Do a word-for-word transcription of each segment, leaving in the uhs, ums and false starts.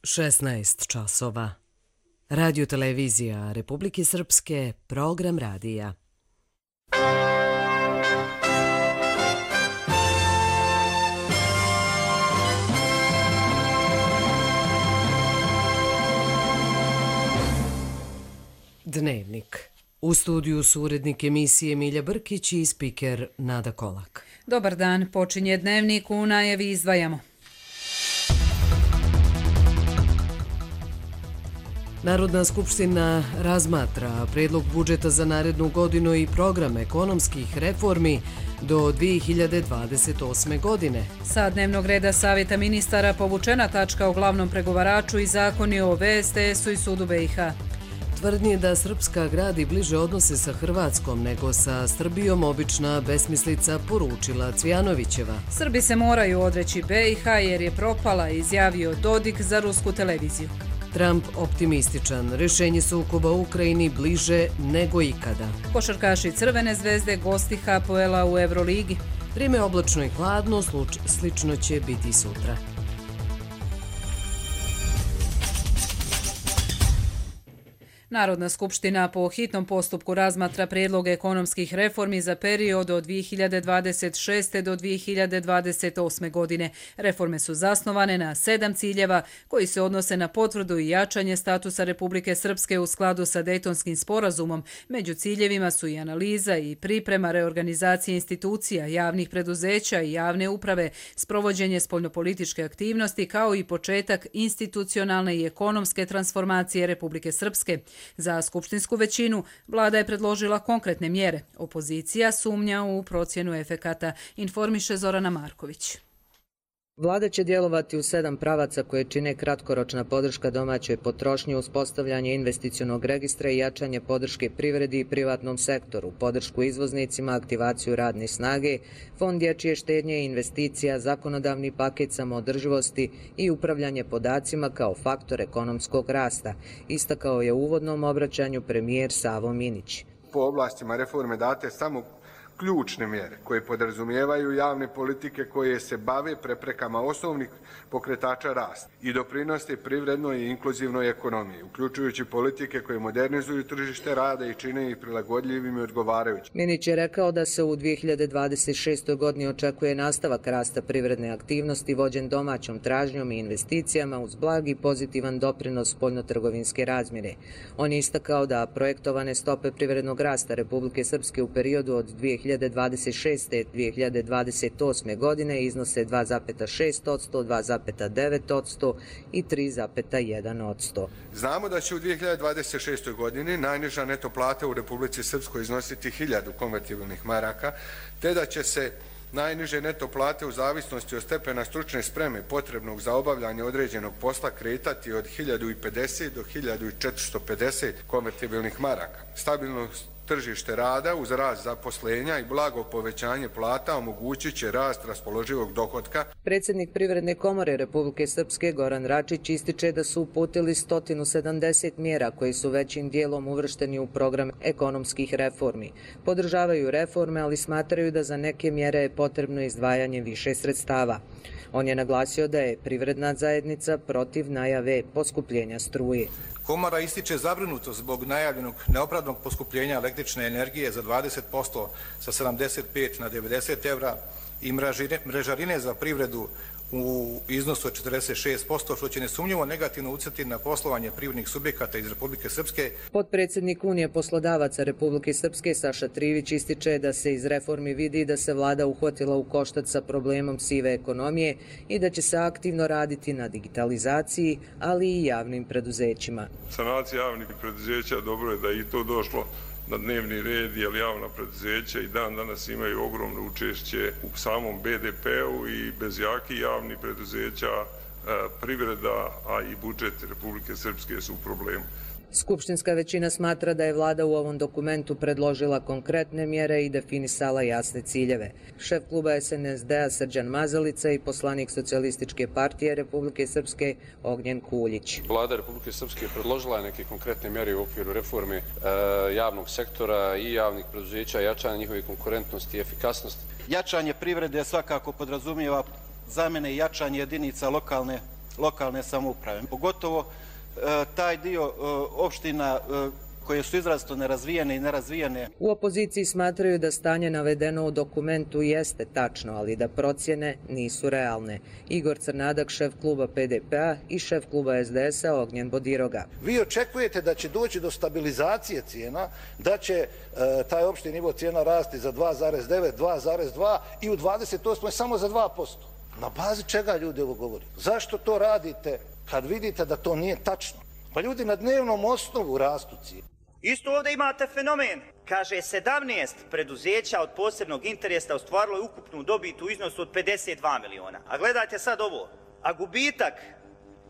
šesnaest časova. Radio televizija Republike Srpske, program radija. Dnevnik. U studiju su urednik emisije Milja Brkić i spiker Nada Kolak. Dobar dan, počinje Dnevnik, u najavi izdvajamo. Narodna skupština razmatra predlog budžeta za narednu godinu i program ekonomskih reformi do dvije hiljade dvadeset osme. godine. Sa dnevnog reda Savjeta ministara povučena tačka o glavnom pregovaraču i zakoni o V S T S-u i sudu B i H. Tvrdnje da Srpska gradi bliže odnose sa Hrvatskom nego sa Srbijom obična besmislica, poručila Cvjanovićeva. Srbi se moraju odreći B i H jer je propala, izjavio Dodik za rusku televiziju. Trump optimističan. Rješenje sukoba u Ukrajini bliže nego ikada. Košarkaši Crvene zvezde gosti H P L-a u Euroligi. Vrijeme oblačno i hladno, sluč, slično će biti sutra. Narodna skupština po hitnom postupku razmatra prijedlog ekonomskih reformi za period od dvije hiljade dvadeset šeste. do dvije hiljade dvadeset osme. godine. Reforme su zasnovane na sedam ciljeva koji se odnose na potvrdu i jačanje statusa Republike Srpske u skladu sa Dejtonskim sporazumom. Među ciljevima su i analiza i priprema reorganizacije institucija, javnih preduzeća i javne uprave, sprovođenje spoljnopolitičke aktivnosti kao i početak institucionalne i ekonomske transformacije Republike Srpske. Za skupštinsku većinu vlada je predložila konkretne mjere. Opozicija sumnja u procjenu efekata, informiše Zorana Marković. Vlada će djelovati u sedam pravaca koje čine kratkoročna podrška domaćoj potrošnji, uspostavljanje investicionog registra i jačanje podrške privredi i privatnom sektoru, podršku izvoznicima, aktivaciju radne snage, fond dječje štednje i investicija, zakonodavni paket samoodrživosti i upravljanje podacima kao faktor ekonomskog rasta, istakao je u uvodnom obraćanju premijer Savo Minić. Po oblastima reforme date samo ključne mjere koje podrazumijevaju javne politike koje se bave preprekama osnovnih pokretača rasta i doprinose privrednoj i inkluzivnoj ekonomiji, uključujući politike koje modernizuju tržište rada i čine ih prilagodljivim i odgovarajućim. Minić je rekao da se u dvije hiljade dvadeset šestoj. godini očekuje nastavak rasta privredne aktivnosti vođen domaćom tražnjom i investicijama uz blag i pozitivan doprinos spoljnotrgovinske razmjere. On je istakao da projektovane stope privrednog rasta Republike Srpske u periodu od dvije hiljade dvadeset šeste. do dvije hiljade dvadeset osme. godine iznose dva zarez šest posto, dva zarez devet posto i tri zarez jedan posto. Znamo da će u dvije hiljade dvadeset šestoj. godini najniža neto plata u Republici Srpskoj iznositi hiljadu konvertibilnih maraka, te da će se najniže neto plate u zavisnosti od stepena stručne spreme potrebnog za obavljanje određenog posla kretati od hiljadu pedeset do hiljadu četiristo pedeset konvertibilnih maraka. Stabilnost tržište rada uz rast zaposlenja i blago povećanje plata omogućit će rast raspoloživog dohotka. Predsjednik Privredne komore Republike Srpske Goran Račić ističe da su uputili sto sedamdeset mjera koji su većim dijelom uvršteni u program ekonomskih reformi. Podržavaju reforme, ali smatraju da za neke mjere je potrebno izdvajanje više sredstava. On je naglasio da je privredna zajednica protiv najave poskupljenja struje. Komora ističe zabrinutost zbog najavljenog neopravdanog poskupljenja električne energije za dvadeset posto sa sedamdeset pet na devedeset evra i mrežarine za privredu u iznosu od četrdeset šest posto, što će nesumnjivo negativno utjecati na poslovanje privrednih subjekata iz Republike Srpske. Potpredsjednik Unije poslodavaca Republike Srpske Saša Trivić ističe da se iz reformi vidi da se vlada uhvatila u koštac sa problemom sive ekonomije i da će se aktivno raditi na digitalizaciji, ali i javnim preduzećima. Sanacija javnih preduzeća, dobro je da je i to došlo na dnevni red, jer javna preduzeća i dan danas imaju ogromno učešće u samom B D P-u i bez jakih javnih preduzeća privreda, a i budžet Republike Srpske su u problemu. Skupštinska većina smatra da je vlada u ovom dokumentu predložila konkretne mjere i definisala jasne ciljeve. Šef kluba S N S D-a Srđan Mazalica i poslanik Socijalističke partije Republike Srpske Ognjen Kuljić. Vlada Republike Srpske predložila je neke konkretne mjere u okviru reforme e, javnog sektora i javnih preduzeća, jačanja njihove konkurentnosti i efikasnosti. Jačanje privrede svakako podrazumijeva zamjene i jačanje jedinica lokalne lokalne samouprave. Pogotovo taj dio opština koje su izrazito nerazvijene i nerazvijene. U opoziciji smatraju da stanje navedeno u dokumentu jeste tačno, ali da procjene nisu realne. Igor Crnadak, šef kluba P D P-a i šef kluba S D S-a Ognjen Bodiroga. Vi očekujete da će doći do stabilizacije cijena, da će e, taj opšti nivo cijena rasti za dva zarez devet, dva zarez dva i u dvadeset osmoj samo za dva posto. Na bazi čega ljudi ovo govori? Zašto to radite kad vidite da to nije tačno? Pa ljudi na dnevnom osnovu rastu cijene. Isto ovdje imate fenomen. Kaže, sedamnaest preduzeća od posebnog interesa ostvarilo je ukupnu dobit u iznosu od pedeset dva miliona. A gledajte sad ovo. A gubitak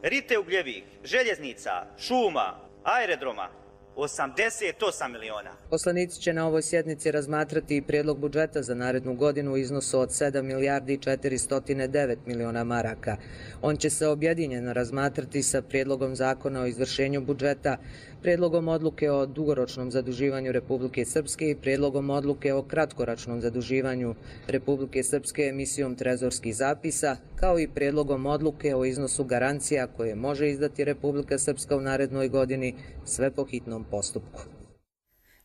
Rite Ugljevik, željeznica, šuma, aerodroma, osamdeset osam miliona. Poslanici će na ovoj sjednici razmatrati i prijedlog budžeta za narednu godinu u iznosu od sedam milijardi četiristo devet miliona maraka. On će se objedinjeno razmatrati sa prijedlogom zakona o izvršenju budžeta, prijedlogom odluke o dugoročnom zaduživanju Republike Srpske i prijedlogom odluke o kratkoročnom zaduživanju Republike Srpske emisijom trezorskih zapisa, kao i prijedlogom odluke o iznosu garancija koje može izdati Republika Srpska u narednoj godini, sve po hitnom postupku.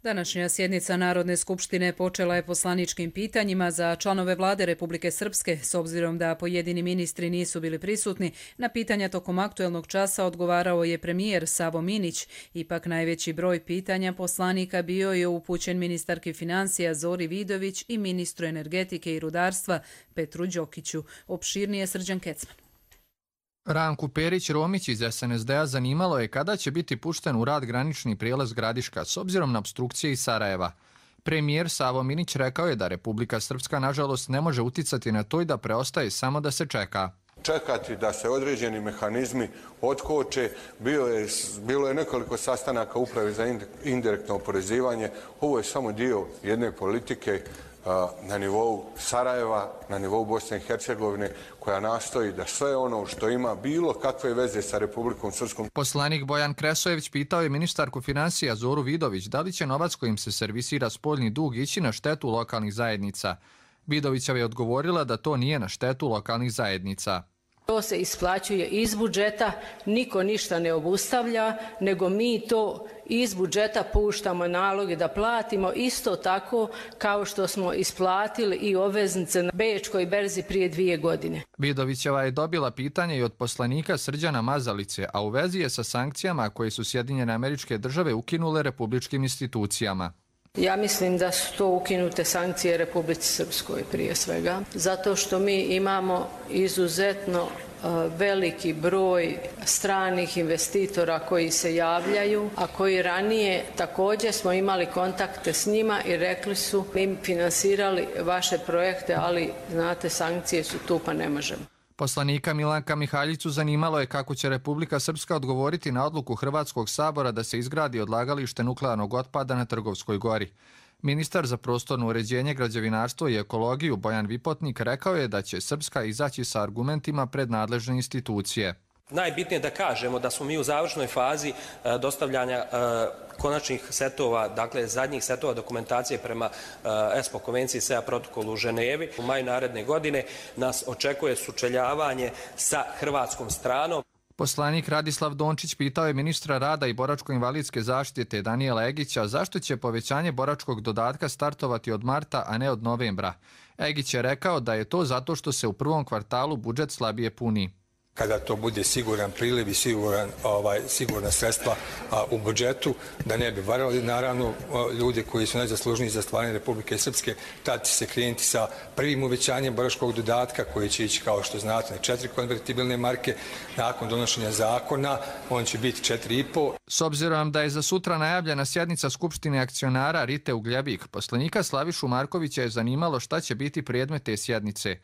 Današnja sjednica Narodne skupštine počela je poslaničkim pitanjima za članove vlade Republike Srpske, s obzirom da pojedini ministri nisu bili prisutni. Na pitanja tokom aktuelnog časa odgovarao je premijer Savo Minić. Ipak najveći broj pitanja poslanika bio je upućen ministarki financija Zori Vidović i ministru energetike i rudarstva Petru Đokiću. Opširnije Srđan Kecman. Ranku Perić-Romić iz S N S D-a zanimalo je kada će biti pušten u rad granični prijelaz Gradiška s obzirom na opstrukcije iz Sarajeva. Premijer Savo Minić rekao je da Republika Srpska nažalost ne može uticati na to i da preostaje samo da se čeka. Čekati da se određeni mehanizmi otkoče, bilo je, bilo je nekoliko sastanaka uprave za indirektno oporezivanje. Ovo je samo dio jedne politike na nivou Sarajeva, na nivou Bosne i Hercegovine, koja nastoji da sve ono što ima bilo kakve veze sa Republikom Srpskom. Poslanik Bojan Kresojević pitao je ministarku financija Zoru Vidović da li će novac kojim se servisira spoljni dug ići na štetu lokalnih zajednica. Vidovićeva je odgovorila da to nije na štetu lokalnih zajednica. To se isplaćuje iz budžeta, niko ništa ne obustavlja, nego mi to iz budžeta puštamo naloge da platimo isto tako kao što smo isplatili i obveznice na Bečkoj berzi prije dvije godine. Vidovićeva je dobila pitanje i od poslanika Srđana Mazalice, a u vezi je sa sankcijama koje su Sjedinjene Američke Države ukinule republičkim institucijama. Ja mislim da su to ukinute sankcije Republici Srpskoj prije svega, zato što mi imamo izuzetno veliki broj stranih investitora koji se javljaju, a koji ranije također smo imali kontakte s njima i rekli su mi finansirali vaše projekte, ali znate sankcije su tu pa ne možemo. Poslanika Milanka Mihaljicu zanimalo je kako će Republika Srpska odgovoriti na odluku Hrvatskog sabora da se izgradi odlagalište nuklearnog otpada na Trgovskoj gori. Ministar za prostorno uređenje, građevinarstvo i ekologiju Bojan Vipotnik rekao je da će Srpska izaći sa argumentima pred nadležne institucije. Najbitnije je da kažemo da smo mi u završnoj fazi dostavljanja konačnih setova, dakle zadnjih setova dokumentacije prema ESPO konvenciji S E A protokolu u Ženevi. U maju naredne godine nas očekuje sučeljavanje sa hrvatskom stranom. Poslanik Radislav Dončić pitao je ministra rada i boračko-invalidske zaštite Danijela Egića zašto će povećanje boračkog dodatka startovati od marta, a ne od novembra. Egić je rekao da je to zato što se u prvom kvartalu budžet slabije puni. Kada to bude siguran priliv i siguran, ovaj, sigurna sredstva a, u budžetu, da ne bi varali naravno ljudi koji su najzaslužniji za stvaranje Republike Srpske, tad će se krenuti sa prvim uvećanjem boračkog dodatka koji će ići kao što znate na četiri konvertibilne marke. Nakon donošenja zakona on će biti četiri i po. S obzirom da je za sutra najavljena sjednica Skupštine akcionara Rite Ugljevik, poslanika Slavišu Markovića je zanimalo šta će biti predmet te sjednice.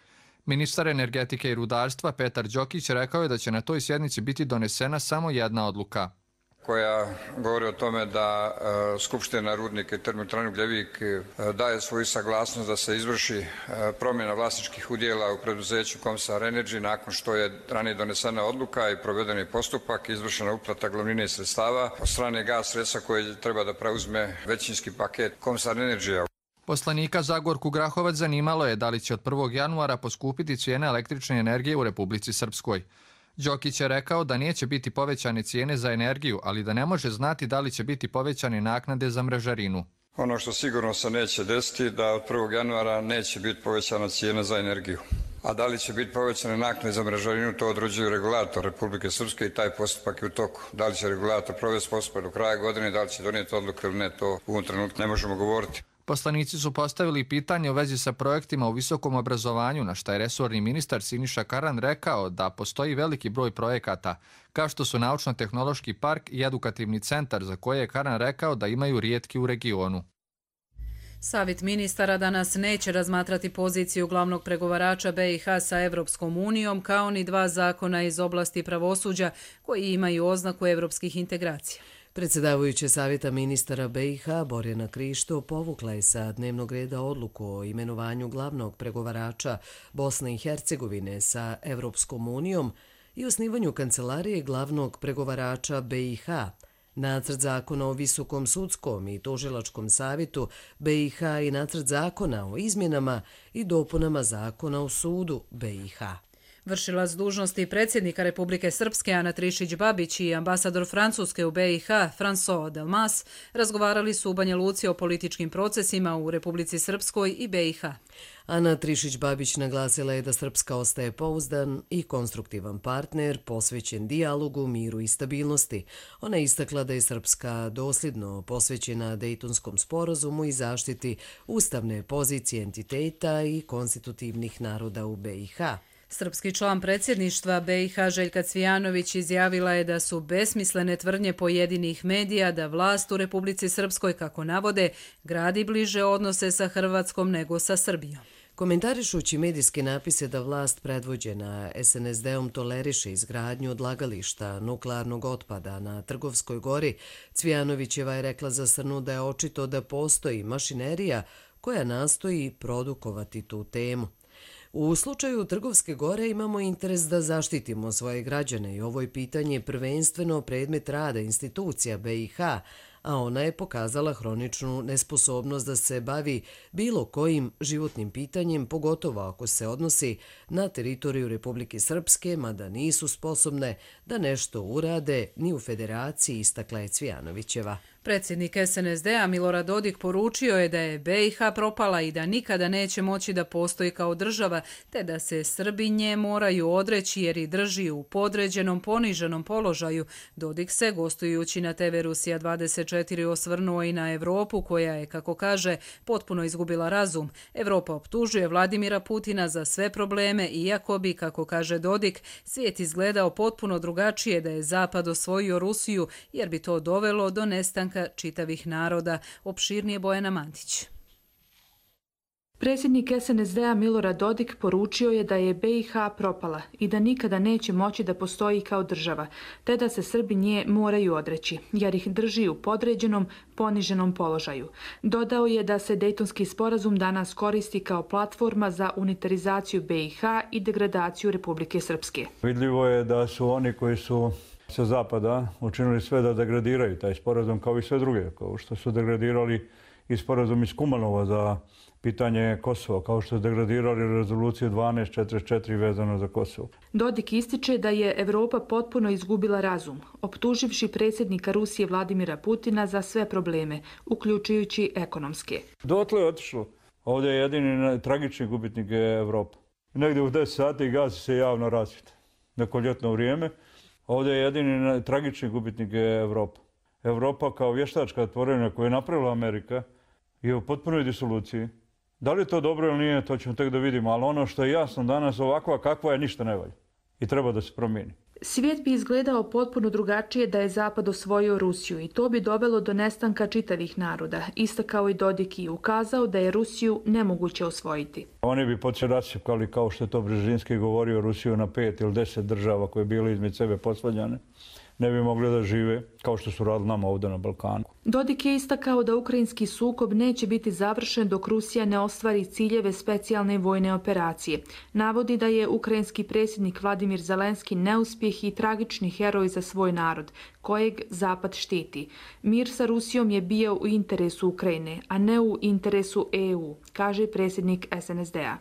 Ministar energetike i rudarstva Petar Đokić rekao je da će na toj sjednici biti donesena samo jedna odluka. Koja govori o tome da uh, Skupština Rudnika i termoelektrane Ugljevik uh, daje svoju saglasnost da se izvrši uh, promjena vlasničkih udjela u preduzeću Komsar Energy nakon što je ranije donesena odluka i provedeni postupak, izvršena uplata glavnine sredstava od strane Gas Sredstva koje treba da preuzme većinski paket Komsar Energy. Poslanika Zagorku Grahovac zanimalo je da li će od prvog januara poskupiti cijene električne energije u Republici Srpskoj. Đokić je rekao da neće biti povećane cijene za energiju, ali da ne može znati da li će biti povećane naknade za mrežarinu. Ono što sigurno se neće desiti da od prvog januara neće biti povećana cijena za energiju. A da li će biti povećane naknade za mrežarinu, to određuje regulator Republike Srpske i taj postupak je u toku. Da li će regulator provesti postupak do kraja godine, da li će donijeti odluku ili ne, to u ovom trenutku ne možemo govoriti. Poslanici su postavili pitanje u vezi sa projektima u visokom obrazovanju, na šta je resorni ministar Siniša Karan rekao da postoji veliki broj projekata, kao što su Naučno-tehnološki park i edukativni centar, za koje je Karan rekao da imaju rijetki u regionu. Savjet ministara danas neće razmatrati poziciju glavnog pregovarača B i H sa Evropskom unijom, kao ni dva zakona iz oblasti pravosuđa koji imaju oznaku evropskih integracija. Predsjedavajuće Savjeta ministara B i H Borjana Krišto povukla je sa dnevnog reda odluku o imenovanju glavnog pregovarača Bosne i Hercegovine sa Evropskom unijom i osnivanju kancelarije glavnog pregovarača B i H. Nacrt zakona o Visokom sudskom i tužilačkom savjetu B i H i nacrt zakona o izmjenama i dopunama zakona o sudu B i H. Vršilac dužnosti predsjednika Republike Srpske Ana Trišić-Babić i ambasador Francuske u B i H François Delmas razgovarali su u Banja Luci o političkim procesima u Republici Srpskoj i B i H. Ana Trišić-Babić naglasila je da Srpska ostaje pouzdan i konstruktivan partner posvećen dijalogu, miru i stabilnosti. Ona je istakla da je Srpska dosljedno posvećena Dejtonskom sporazumu i zaštiti ustavne pozicije entiteta i konstitutivnih naroda u B i H. Srpski član predsjedništva B i H Željka Cvijanović izjavila je da su besmislene tvrdnje pojedinih medija da vlast u Republici Srpskoj, kako navode, gradi bliže odnose sa Hrvatskom nego sa Srbijom. Komentarišući medijske napise da vlast predvođena S N S D-om toleriše izgradnju odlagališta nuklearnog otpada na Trgovskoj gori, Cvijanovićeva je rekla za Srnu da je očito da postoji mašinerija koja nastoji produkovati tu temu. U slučaju Trgovske gore imamo interes da zaštitimo svoje građane i ovo je pitanje prvenstveno predmet rada institucija B i H, a ona je pokazala hroničnu nesposobnost da se bavi bilo kojim životnim pitanjem, pogotovo ako se odnosi na teritoriju Republike Srpske, mada nisu sposobne da nešto urade ni u federaciji, istakla je Cvijanovićeva. Predsjednik S N S D-a Milorad Dodik poručio je da je B i H propala i da nikada neće moći da postoji kao država, te da se Srbi nje moraju odreći jer i drži u podređenom, poniženom položaju. Dodik se, gostujući na T V Rusija dvadeset četiri, osvrnuo i na Evropu koja je, kako kaže, potpuno izgubila razum. Evropa optužuje Vladimira Putina za sve probleme, iako bi, kako kaže Dodik, svijet izgledao potpuno drugačije da je Zapad osvojio Rusiju, jer bi to dovelo do nestanka čitavih naroda. Opširnije Bojana Mantić. Predsjednik S N S D-a Milorad Dodik poručio je da je B i H propala i da nikada neće moći da postoji kao država, te da se Srbi nje moraju odreći, jer ih drži u podređenom, poniženom položaju. Dodao je da se Dejtonski sporazum danas koristi kao platforma za unitarizaciju B i H i degradaciju Republike Srpske. Vidljivo je da su oni koji su sa zapada učinili sve da degradiraju taj sporazum kao i sve druge, kao što su degradirali i sporazum iz Kumanova za pitanje Kosova, kao što su degradirali rezoluciju dvanaest četrdeset četiri vezano za Kosovo. Dodik ističe da je Evropa potpuno izgubila razum, optuživši predsjednika Rusije Vladimira Putina za sve probleme, uključujući ekonomske. Dotle je otišlo. Ovdje je jedini tragični gubitnik je Evropa. Negdje u deset sati gasi se javno rasvjeta. Neko ljetno vrijeme. Ovdje je jedini tragični gubitnik je Evropa. Evropa kao vještačka tvorevina koju je napravila Amerika je u potpunoj disoluciji. Da li je to dobro ili nije, to ćemo tek da vidimo, ali ono što je jasno danas ovakva kakva je ništa ne valja i treba da se promijeni. Svijet bi izgledao potpuno drugačije da je Zapad osvojio Rusiju i to bi dovelo do nestanka čitavih naroda, istakao i Dodik i ukazao da je Rusiju nemoguće osvojiti. Oni bi počeli rasipkali, kao što je to Brzezinski govorio, Rusiju na pet ili deset država koje bi bile između sebe posvađane. Ne bi mogli da žive kao što su radili nama ovdje na Balkanu. Dodik je istakao da ukrajinski sukob neće biti završen dok Rusija ne ostvari ciljeve specijalne vojne operacije. Navodi da je ukrajinski predsjednik Vladimir Zelenski neuspjeh i tragični heroj za svoj narod, kojeg Zapad štiti. Mir sa Rusijom je bio u interesu Ukrajine, a ne u interesu E U, kaže predsjednik S N S D-a.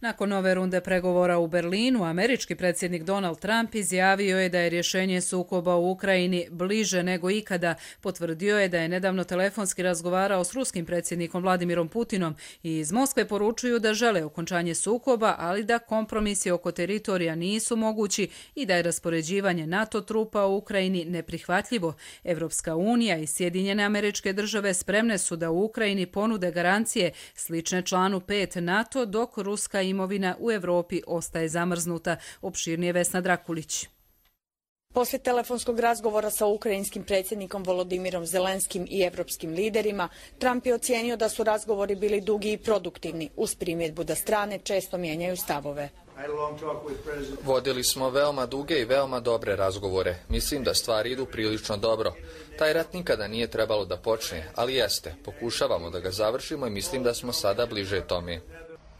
Nakon nove runde pregovora u Berlinu, američki predsjednik Donald Trump izjavio je da je rješenje sukoba u Ukrajini bliže nego ikada. Potvrdio je da je nedavno telefonski razgovarao s ruskim predsjednikom Vladimirom Putinom i iz Moskve poručuju da žele okončanje sukoba, ali da kompromisi oko teritorija nisu mogući i da je raspoređivanje NATO trupa u Ukrajini neprihvatljivo. Evropska unija i Sjedinjene Američke Države spremne su da u Ukrajini ponude garancije slične članu pet NATO, dok ruska imovina u Evropi ostaje zamrznuta. Opširnije Vesna Drakulić. Poslije telefonskog razgovora sa ukrajinskim predsjednikom Volodimirom Zelenskim i evropskim liderima, Trump je ocijenio da su razgovori bili dugi i produktivni, uz primjedbu da strane često mijenjaju stavove. Vodili smo veoma duge i veoma dobre razgovore. Mislim da stvari idu prilično dobro. Taj rat nikada nije trebalo da počne, ali jeste. Pokušavamo da ga završimo i mislim da smo sada bliže tome.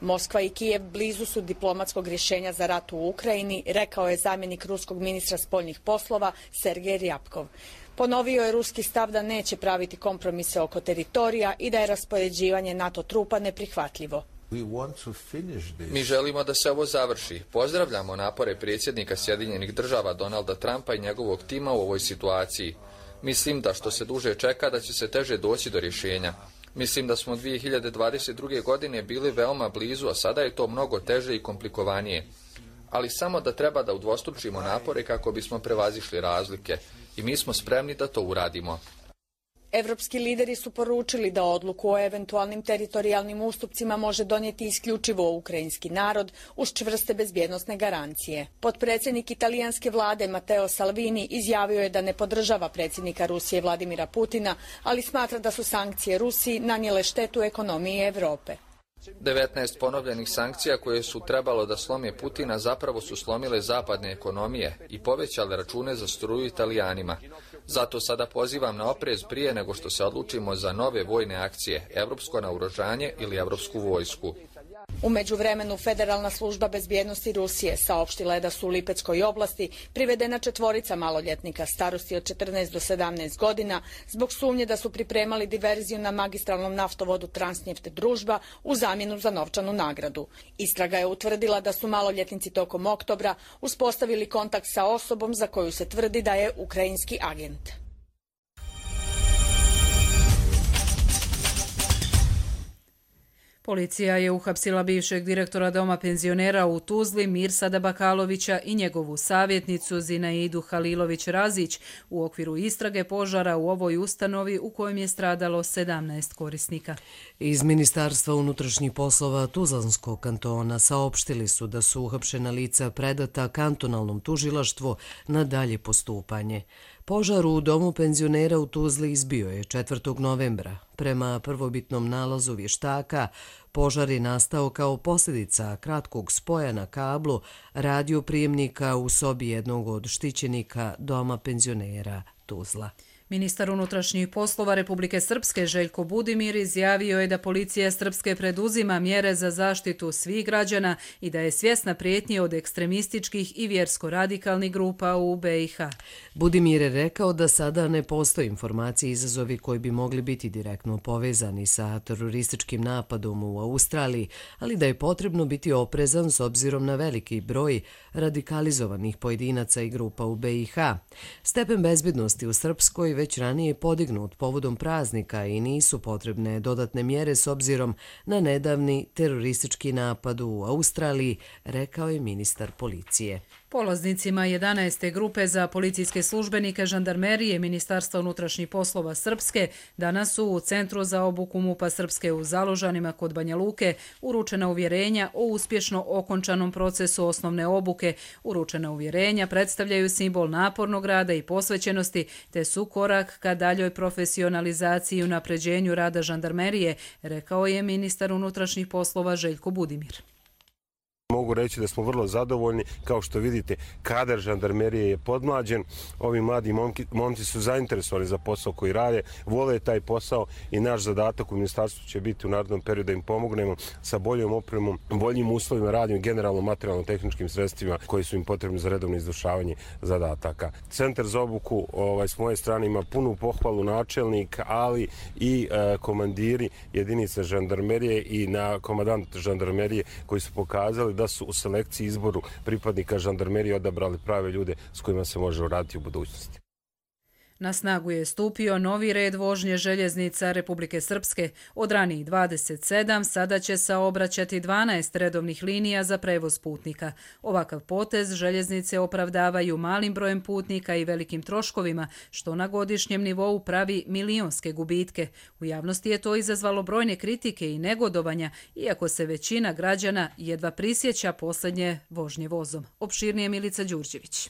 Moskva i Kijev blizu su diplomatskog rješenja za rat u Ukrajini, rekao je zamjenik ruskog ministra spoljnih poslova Sergej Ryabkov. Ponovio je ruski stav da neće praviti kompromise oko teritorija i da je raspoređivanje NATO trupa neprihvatljivo. Mi želimo da se ovo završi. Pozdravljamo napore predsjednika Sjedinjenih Država Donalda Trumpa i njegovog tima u ovoj situaciji. Mislim da što se duže čeka da će se teže doći do rješenja. Mislim da smo dvije hiljade dvadeset druge. godine bili veoma blizu, a sada je to mnogo teže i komplikovanije. Ali samo da treba da udvostručimo napore kako bismo prevazišli razlike. I mi smo spremni da to uradimo. Evropski lideri su poručili da odluku o eventualnim teritorijalnim ustupcima može donijeti isključivo ukrajinski narod uz čvrste bezbjednosne garancije. Potpredsjednik italijanske vlade Matteo Salvini izjavio je da ne podržava predsjednika Rusije Vladimira Putina, ali smatra da su sankcije Rusiji nanijele štetu ekonomiji Europe. devetnaest ponovljenih sankcija koje su trebalo da slome Putina zapravo su slomile zapadne ekonomije i povećale račune za struju Italijanima. Zato sada pozivam na oprez prije nego što se odlučimo za nove vojne akcije, evropsko naoružanje ili evropsku vojsku. U međuvremenu Federalna služba bezbjednosti Rusije saopštila je da su u Lipeckoj oblasti privedena četvorica maloljetnika starosti od četrnaest do sedamnaest godina zbog sumnje da su pripremali diverziju na magistralnom naftovodu Transnjeft Družba u zamjenu za novčanu nagradu. Istraga je utvrdila da su maloljetnici tokom oktobra uspostavili kontakt sa osobom za koju se tvrdi da je ukrajinski agent. Policija je uhapsila bivšeg direktora doma penzionera u Tuzli Mirsada Bakalovića i njegovu savjetnicu Zinaidu Halilović-Razić u okviru istrage požara u ovoj ustanovi u kojem je stradalo sedamnaest korisnika. Iz Ministarstva unutrašnjih poslova Tuzlanskog kantona saopštili su da su uhapšena lica predata kantonalnom tužilaštvu na dalje postupanje. Požar u domu penzionera u Tuzli izbio je četvrtog novembra. Prema prvobitnom nalazu vještaka, požar je nastao kao posljedica kratkog spoja na kablu radioprijemnika u sobi jednog od štićenika doma penzionera Tuzla. Ministar unutrašnjih poslova Republike Srpske Željko Budimir izjavio je da policija Srpske preduzima mjere za zaštitu svih građana i da je svjesna prijetnje od ekstremističkih i vjersko-radikalnih grupa u be i ha. Budimir je rekao da sada ne postoje informacije i izazovi koji bi mogli biti direktno povezani sa terorističkim napadom u Australiji, ali da je potrebno biti oprezan s obzirom na veliki broj radikalizovanih pojedinaca i grupa u be i ha. Stepen bezbjednosti u Srpskoj već ranije podignut povodom praznika i nisu potrebne dodatne mjere s obzirom na nedavni teroristički napad u Australiji, rekao je ministar policije. Polaznicima jedanaeste grupe za policijske službenike žandarmerije Ministarstva unutrašnjih poslova Srpske danas su u Centru za obuku MUP-a Srpske u Založanima kod Banja Luke uručena uvjerenja o uspješno okončanom procesu osnovne obuke. Uručena uvjerenja predstavljaju simbol napornog rada i posvećenosti te su korak ka daljoj profesionalizaciji i unapređenju rada žandarmerije, rekao je ministar unutrašnjih poslova Željko Budimir. Mogu reći da smo vrlo zadovoljni. Kao što vidite, kadar žandarmerije je podmlađen. Ovi mladi momci, momci su zainteresovani za posao koji rade, vole taj posao i naš zadatak u ministarstvu će biti u narednom periodu da im pomognemo sa boljom opremom, boljim uslovima radnje, generalno materijalno-tehničkim sredstvima koji su im potrebni za redovno izvršavanje zadataka. Centar za obuku ovaj, s moje strane ima punu pohvalu načelnik, ali i e, komandiri jedinica žandarmerije i na komandant žandarmerije koji su pokazali da su u selekciji izboru pripadnika žandarmerije odabrali prave ljude s kojima se može raditi u budućnosti. Na snagu je stupio novi red vožnje željeznica Republike Srpske. Od ranijih dvadeset sedam sada će saobraćati dvanaest redovnih linija za prevoz putnika. Ovakav potez željeznice opravdavaju malim brojem putnika i velikim troškovima, što na godišnjem nivou pravi milionske gubitke. U javnosti je to izazvalo brojne kritike i negodovanja, iako se većina građana jedva prisjeća posljednje vožnje vozom. Opširnije Milica Đurđević.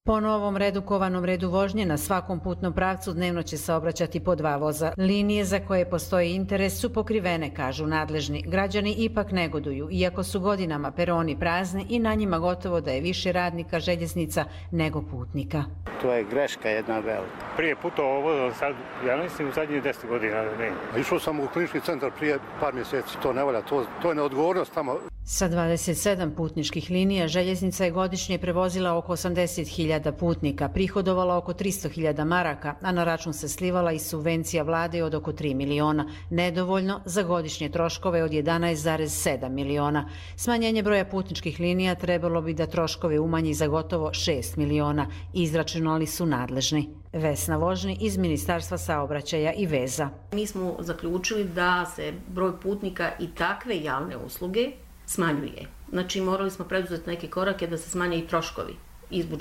Po novom redukovanom redu vožnje na svakom putnom pravcu dnevno će saobraćati po dva voza. Linije za koje postoji interes su pokrivene, kažu nadležni. Građani ipak negoduju, iako su godinama peroni prazni i na njima gotovo da je više radnika željeznica nego putnika. To je greška jedna velika. Prije putovao vozom, sad, ja mislim u zadnjih deset godina. Ne. Išao sam u klinički centar prije par mjeseci, to ne valja, to, to je neodgovornost tamo. Sa dvadeset sedam putničkih linija željeznica je godišnje prevozila oko osamdeset hiljada putnika, prihodovala oko tristo hiljada maraka, a na račun se slivala i subvencija vlade od oko tri miliona, nedovoljno za godišnje troškove od jedanaest zarez sedam miliona. Smanjenje broja putničkih linija trebalo bi da troškove umanji za gotovo šest miliona, izračunali su nadležni. Vesna Vožni iz Ministarstva saobraćaja i veza. Mi smo zaključili da se broj putnika i takve javne usluge smanjuje. Znači, morali smo preduzeti neke korake da se smanje i troškovi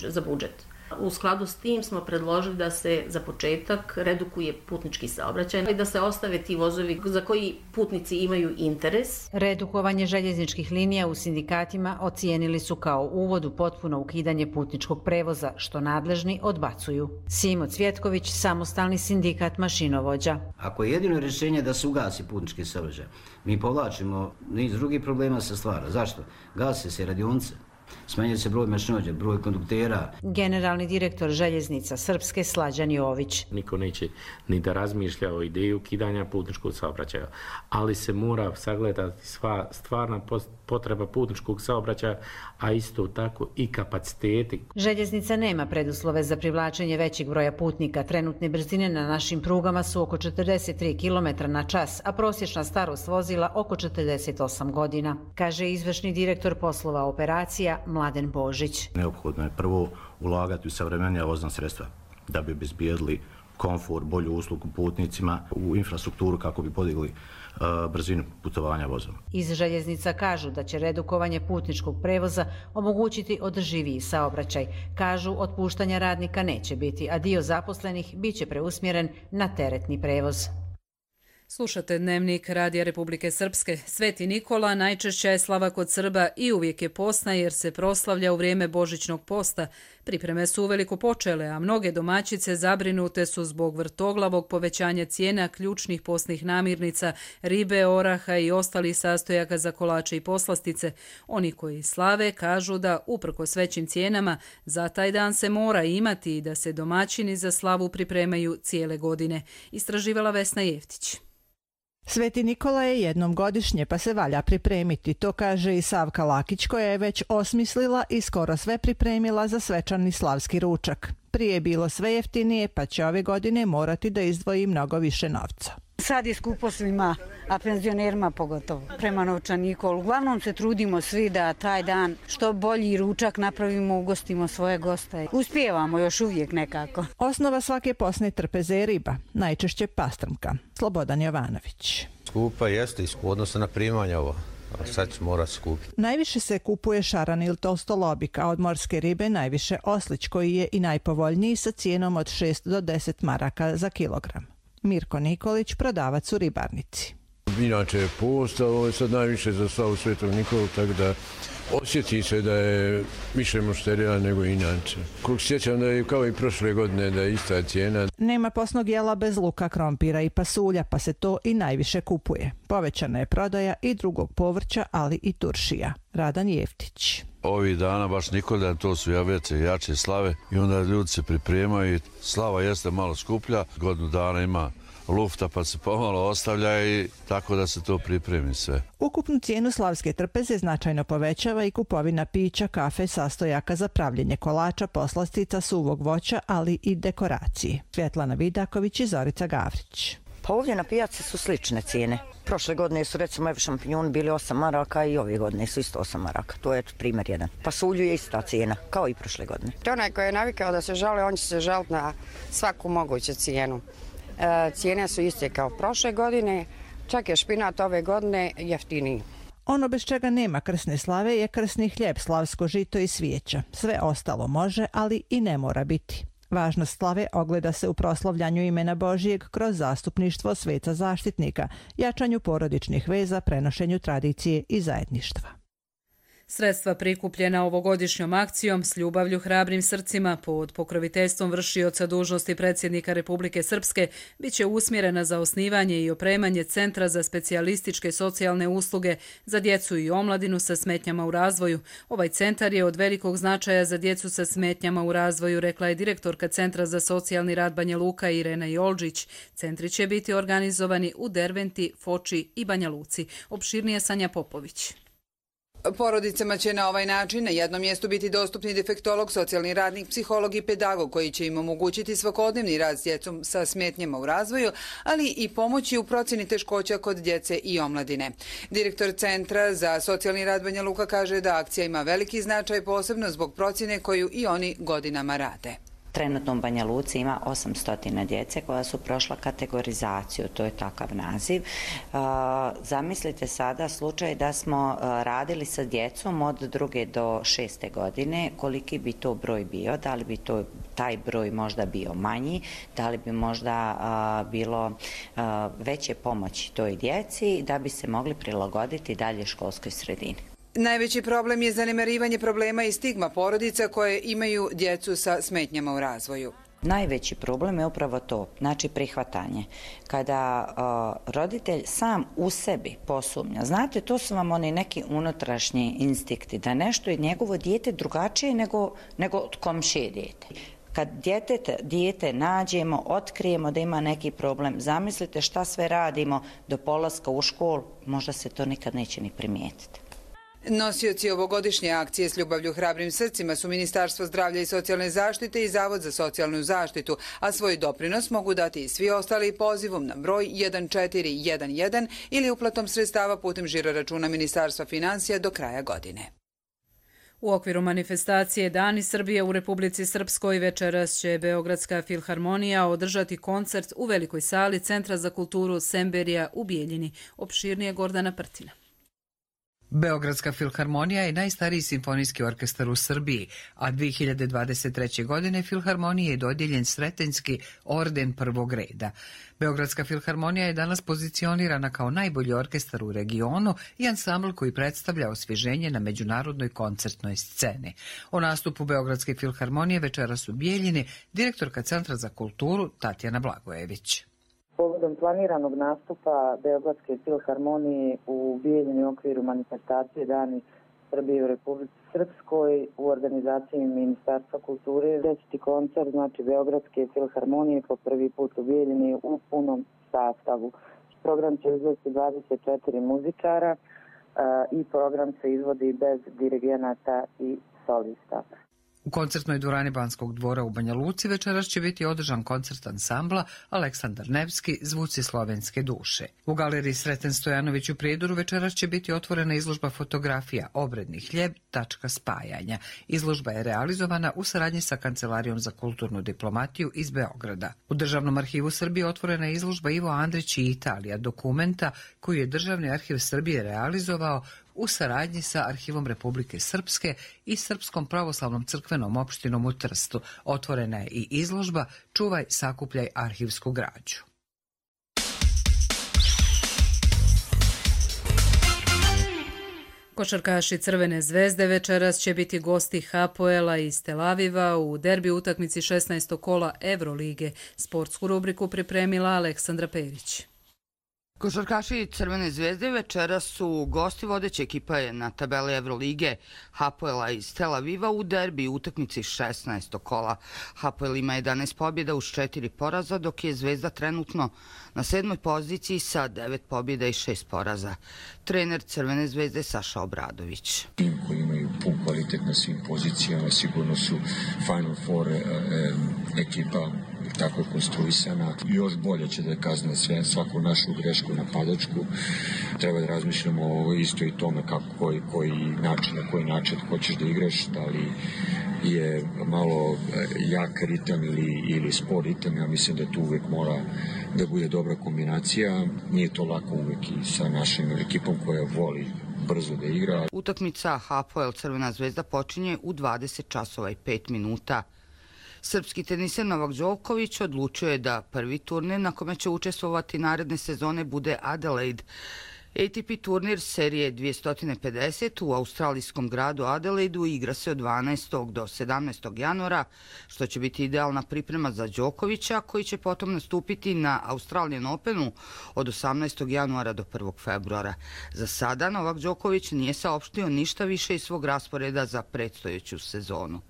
za budžet. U skladu s tim smo predložili da se za početak redukuje putnički saobraćaj i da se ostave ti vozovi za koji putnici imaju interes. Redukovanje željezničkih linija u sindikatima ocijenili su kao uvod u potpuno ukidanje putničkog prevoza, što nadležni odbacuju. Simo Cvjetković, samostalni sindikat mašinovođa. Ako je jedino rješenje da se ugasi putnički saobraćaj, mi povlačimo niz drugih problema sa stvara. Zašto? Gase se radionice. Smanjuje se broj mašinovođa, broj konduktera. Generalni direktor željeznica Srpske Slađan Jović. Niko neće ni da razmišlja o ideji ukidanja putničkog saobraćaja, ali se mora sagledati sva stvarna potreba putničkog saobraćaja, a isto tako i kapaciteti. Željeznica nema preduslove za privlačenje većeg broja putnika. Trenutne brzine na našim prugama su oko četrdeset tri kilometra na čas, a prosječna starost vozila oko četrdeset osam godina, kaže izvršni direktor poslova operacija Mladen Božić. Neophodno je prvo ulagati u savremenija vozna sredstva da bi obezbijedili komfor, bolju uslugu putnicima, u infrastrukturu kako bi podigli uh, brzinu putovanja vozom. Iz željeznica kažu da će redukovanje putničkog prevoza omogućiti održiviji saobraćaj. Kažu, otpuštanja radnika neće biti, a dio zaposlenih biće preusmjeren na teretni prevoz. Slušate Dnevnik Radija Republike Srpske. Sveti Nikola najčešća je slava kod Srba i uvijek je postna jer se proslavlja u vrijeme Božićnog posta. Pripreme su uveliko počele, a mnoge domaćice zabrinute su zbog vrtoglavog povećanja cijena ključnih postnih namirnica, ribe, oraha i ostalih sastojaka za kolače i poslastice. Oni koji slave kažu da, uprkos većim cijenama, za taj dan se mora imati i da se domaćini za slavu pripremaju cijele godine. Istraživala Vesna Jeftić. Sveti Nikola je jednom godišnje, pa se valja pripremiti, to kaže i Savka Lakić, koja je već osmislila i skoro sve pripremila za svečani slavski ručak. Prije je bilo sve jeftinije, pa će ove godine morati da izdvoji mnogo više novca. Sad je skupo svima, a penzionerima pogotovo, prema novčaniku. Uglavnom se trudimo svi da taj dan što bolji ručak napravimo, ugostimo svoje goste. Uspijevamo još uvijek nekako. Osnova svake posne trpeze je riba, najčešće pastrmka. Slobodan Jovanović. Skupa jeste, odnosno na primanje ovo. Sad će morati skupiti. Najviše se kupuje šaran ili tolstolobik, a od morske ribe najviše oslić, koji je i najpovoljniji sa cijenom od šest do deset maraka za kilogram. Mirko Nikolić, prodavac u ribarnici. Inače je post, a ovo je sad najviše za slavu Svetog Nikolu, tako da osjeti se da je više mušterija nego inače. Koliko sjećam da je kao i prošle godine da je ista cijena. Nema posnog jela bez luka, krompira i pasulja, pa se to i najviše kupuje. Povećana je prodaja i drugog povrća, ali i turšija. Radan Jeftić. Ovih dana baš Nikoldan, to su veće jače slave i onda ljudi se pripremaju. Slava jeste malo skuplja, godinu dana ima lufta pa se pomalo ostavlja i tako da se to pripremi sve. Ukupnu cijenu slavske trpeze značajno povećava i kupovina pića, kafe, sastojaka za pravljenje kolača, poslastica, suvog voća, ali i dekoracije. Svjetlana Vidaković i Zorica Gavrić. Pa ovdje na pijaci su slične cijene. Prošle godine su recimo evi šampinjoni bili osam maraka i ove godine su isto osam maraka. To je primjer jedan. Pasulju je ista cijena, kao i prošle godine. Onaj koji je navikao da se žali, on će se žaliti na svaku moguću cijenu. E, cijene su iste kao prošle godine, čak je špinat ove godine jeftiniji. Ono bez čega nema krsne slave je krsni hljeb, slavsko žito i svijeća. Sve ostalo može, ali i ne mora biti. Važnost slave ogleda se u proslavljanju imena Božijeg kroz zastupništvo sveca zaštitnika, jačanju porodičnih veza, prenošenju tradicije i zajedništva. Sredstva prikupljena ovogodišnjom akcijom S ljubavlju hrabrim srcima pod pokroviteljstvom vršioca dužnosti predsjednika Republike Srpske bit će usmjerena za osnivanje i opremanje Centra za specijalističke socijalne usluge za djecu i omladinu sa smetnjama u razvoju. Ovaj centar je od velikog značaja za djecu sa smetnjama u razvoju, rekla je direktorka Centra za socijalni rad Banja Luka Irena Jolđić. Centri će biti organizovani u Derventi, Foči i Banja Luci. Opširnije Sanja Popović. Porodicama će na ovaj način na jednom mjestu biti dostupni defektolog, socijalni radnik, psiholog i pedagog koji će im omogućiti svakodnevni rad s djecom sa smetnjama u razvoju, ali i pomoći u procjeni teškoća kod djece i omladine. Direktor Centra za socijalni rad Banja Luka kaže da akcija ima veliki značaj posebno zbog procjene koju i oni godinama rade. Trenutno u Banja Luci ima osamsto djece koja su prošla kategorizaciju, to je takav naziv. Zamislite sada slučaj da smo radili sa djecom od druge do šeste godine, koliki bi to broj bio, da li bi to taj broj možda bio manji, da li bi možda bilo veće pomoći toj djeci da bi se mogli prilagoditi dalje školskoj sredini. Najveći problem je zanemarivanje problema i stigma porodica koje imaju djecu sa smetnjama u razvoju. Najveći problem je upravo to, znači prihvatanje. Kada uh, roditelj sam u sebi posumnja, znate, to su vam oni neki unutrašnji instinkti, da nešto je njegovo dijete drugačije nego, nego od komšije dijete. Kad dijete, dijete nađemo, otkrijemo da ima neki problem, zamislite šta sve radimo do polaska u školu, možda se to nikad neće ni primijetiti. Nosioci ovogodišnje akcije S ljubavlju hrabrim srcima su Ministarstvo zdravlja i socijalne zaštite i Zavod za socijalnu zaštitu, a svoj doprinos mogu dati i svi ostali pozivom na broj jedan četiri jedan jedan ili uplatom sredstava putem žiroračuna Ministarstva financija do kraja godine. U okviru manifestacije Dani Srbije u Republici Srpskoj večeras će Beogradska filharmonija održati koncert u velikoj sali Centra za kulturu Semberija u Bijeljini. Opširnije Gordana Prtina. Beogradska filharmonija je najstariji simfonijski orkestar u Srbiji, a dvije hiljade dvadeset treće. godine filharmoniji je dodijeljen Sretenjski orden prvog reda. Beogradska filharmonija je danas pozicionirana kao najbolji orkestar u regionu i ansambl koji predstavlja osvježenje na međunarodnoj koncertnoj sceni. O nastupu Beogradske filharmonije večeras u Bijeljini direktorka Centra za kulturu Tatjana Blagojević. Povodom planiranog nastupa Beogradske filharmonije u Bijeljini u okviru manifestacije Dani Srbije u Republici Srpskoj u organizaciji Ministarstva kulture deseti koncert, znači Beogradske filharmonije po prvi put u Bijeljini u punom sastavu. Program će izvesti dvadeset četiri muzičara i program se izvodi bez dirigenata i solista. U koncertnoj dvorani Banskog dvora u Banja Luci večeras će biti održan koncert ansambla Aleksandar Nevski Zvuci slovenske duše. U galeriji Sreten Stojanović u Prijedoru večeras će biti otvorena izložba fotografija Obredni hljeb, tačka spajanja. Izložba je realizovana u saradnji sa Kancelarijom za kulturnu diplomatiju iz Beograda. U Državnom arhivu Srbije otvorena je izložba Ivo Andrić i Italija, dokumenta koju je Državni arhiv Srbije realizovao u saradnji sa Arhivom Republike Srpske i Srpskom pravoslavnom crkvenom opštinom u Trstu. Otvorena je i izložba Čuvaj, sakupljaj arhivsku građu. Košarkaši Crvene zvezde večeras će biti gosti Hapoela iz Tel Aviva u derbi utakmici šesnaestog kola Evrolige. Sportsku rubriku pripremila Aleksandra Perić. Košarkaši Crvene zvezde večeras su gosti vodeće ekipe na tabeli Evrolige Hapoela iz Tel Aviva u derbi utakmici šesnaestog kola. Hapoel ima jedanaest pobjeda uz četiri poraza, dok je Zvezda trenutno na sedmoj poziciji sa devet pobjeda i šest poraza. Trener Crvene zvezde Saša Obradović. Tim koji imaju pun kvalitet na svim pozicijama, sigurno su Final Four e, e, ekipa tako konstruisana. Još bolje će da kazne sve, svaku našu grešku napadačku. Treba da razmišljamo isto i tome kako, koji, koji način, na koji način hoćeš da igraš, da li je malo jak ritam ili, ili spor ritam. Ja mislim da tu uvek mora da bude dobra kombinacija. Nije to lako uvek i sa našim ekipom koja voli brzo da igra. Utakmica Hapoel Crvena zvezda počinje u dvadeset časova i pet minuta. Srpski teniser Novak Đoković odlučio je da prvi turnir na kome će učestvovati naredne sezone bude Adelaide. A T P turnir serije dvesta pedeset u australijskom gradu Adelaidu igra se od dvanaestog do sedamnaestog januara, što će biti idealna priprema za Đokovića, koji će potom nastupiti na Australian Openu od osamnaestog januara do prvog februara. Za sada Novak Đoković nije saopštio ništa više iz svog rasporeda za predstojeću sezonu.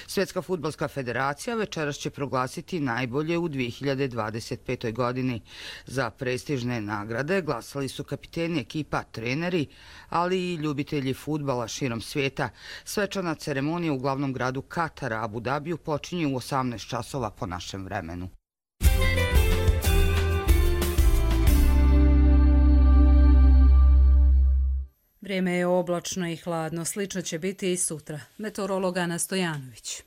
Svjetska fudbalska federacija večeras će proglasiti najbolje u dvije hiljade dvadeset petoj godini. Za prestižne nagrade glasali su kapiteni ekipa, treneri, ali i ljubitelji fudbala širom svijeta. Svečana ceremonija u glavnom gradu Katara, Abu Dabiju, počinje u osamnaest časova po našem vremenu. Vrijeme je oblačno i hladno, slično će biti i sutra. Meteorolog Ana Stojanović.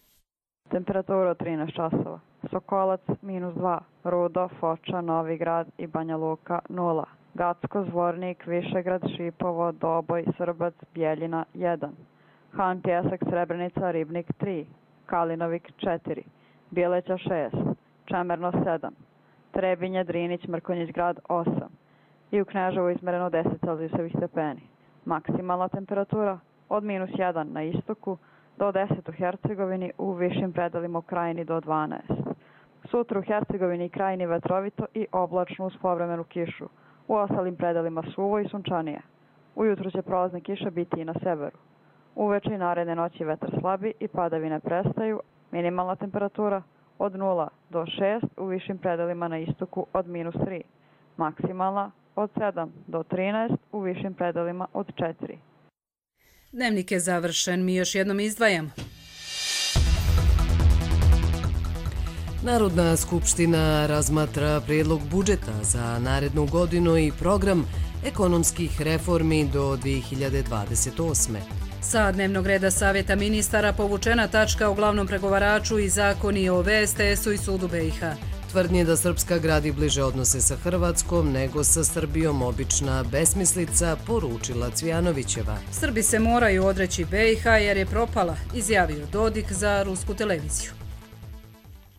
Temperatura trinaest časova. Sokolac minus dva, Rudo, Foča, Novi Grad i Banja Luka nula. Gacko, Zvornik, Višegrad, Šipovo, Doboj, Srbac, Bjeljina jedan. Han, Pjesak, Srebrenica, Ribnik tri. Kalinovik četiri. Bileća šest. Čemerno sedam. Trebinje, Drinić, Mrkonjić Grad osam. I u Kneževu izmereno deset celzijusovih stepeni. Maksimalna temperatura od minus jedan na istoku do deset u Hercegovini, u višim predelima u Krajini do dvanaest. Sutra u Hercegovini i Krajini vetrovito i oblačno uz povremenu kišu. U ostalim predelima suvo i sunčanije. Ujutru će prolazne kiše biti i na severu. Uveče i naredne noći vetar slabi i padavine prestaju. Minimalna temperatura od nula do šest, u višim predelima na istoku od minus tri. Maksimalna od sedam do trinaest, u višim predelima od četiri. Dnevnik je završen, mi još jednom izdvajamo. Narodna skupština razmatra prijedlog budžeta za narednu godinu i program ekonomskih reformi do dvije hiljade dvadeset osme. Sa dnevnog reda Savjeta ministara povučena tačka o glavnom pregovaraču i zakoni o V S T S-u i sudu B i H. Tvrdnje da Srpska gradi bliže odnose sa Hrvatskom nego sa Srbijom obična besmislica, poručila Cvijanovićeva. Srbi se moraju odreći B i H jer je propala, izjavio Dodik za rusku televiziju.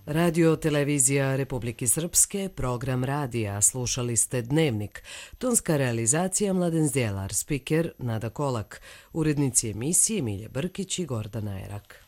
Radio televizija Republike Srpske, program radija, slušali ste Dnevnik. Tonska realizacija Mladen Zdjelar, spiker Nada Kolak, urednici emisije Milje Brkić i Gordana Erak.